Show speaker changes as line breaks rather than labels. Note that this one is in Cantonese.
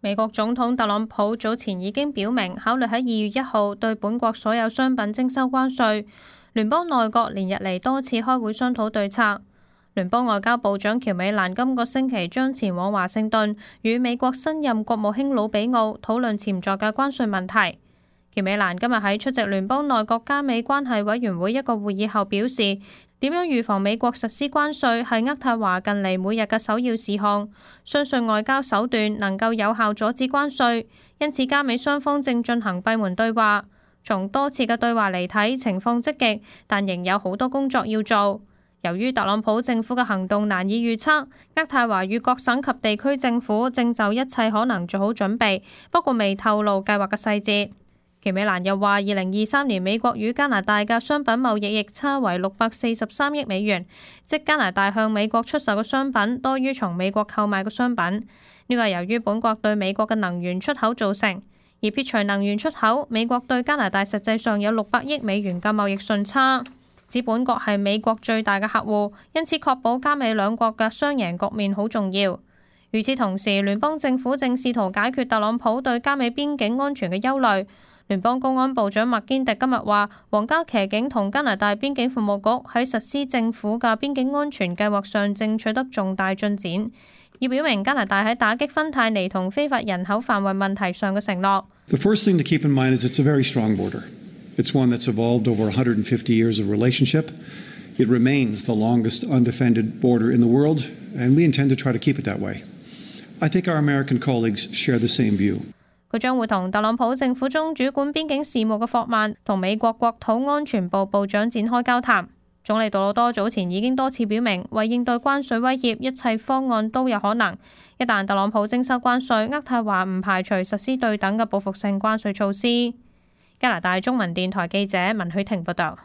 美國總統特朗普早前已經表明，考慮喺2月1號對本國所有商品徵收關稅。聯邦內閣連日嚟多次開會商討對策。聯邦外交部長喬美蘭今個星期將前往華盛頓，與美國新任國務卿魯比奧討論潛在嘅關稅問題。喬美蘭今日喺出席聯邦內閣加美關係委員會一個會議後表示，點樣預防美國實施關稅係渥太華近嚟每日嘅首要事項，相信外交手段能夠有效阻止關稅，因此加美雙方正進行閉門對話。從多次嘅對話嚟睇，情況積極，但仍有好多工作要做。由於特朗普政府嘅行動難以預測，渥太華與各省及地區政府正就一切可能做好準備，不過未透露計劃嘅細節。喬美蘭又話，2023年美國與加拿大嘅商品貿易逆差為643億美元，即加拿大向美國出售嘅商品多於從美國購買嘅商品。呢個係由於本國對美國嘅能源出口造成，而撇除能源出口，美國對加拿大實際上有600億美元嘅貿易順差。指本國係美國最大嘅客戶，因此確保加美兩國嘅雙贏局面好重要。與此同時，聯邦政府正試圖解決特朗普對加美邊境安全嘅憂慮。聯邦公安部長麥堅迪今日話，皇家騎警同加拿大邊境服務局喺實施政府嘅邊境安全計劃上正取得重大進展，以表明加拿大喺打擊芬太尼同非法人口販運問題上嘅承諾。
The first thing to keep in mind is it's a very strong border. It's one that's evolved over 150 years of relationship. It remains the longest undefended border in the world, and we intend to try to keep it that way. I think our American colleagues share the same view.
佢將會同特朗普政府中主管邊境事務嘅霍曼同美國國土安全部部長展開交談。總理杜魯多早前已經多次表明，為應對關稅威脅，一切方案都有可能。一旦特朗普徵收關稅，渥太華唔排除實施對等嘅報復性關稅措施。加拿大中文電台記者文許婷報道。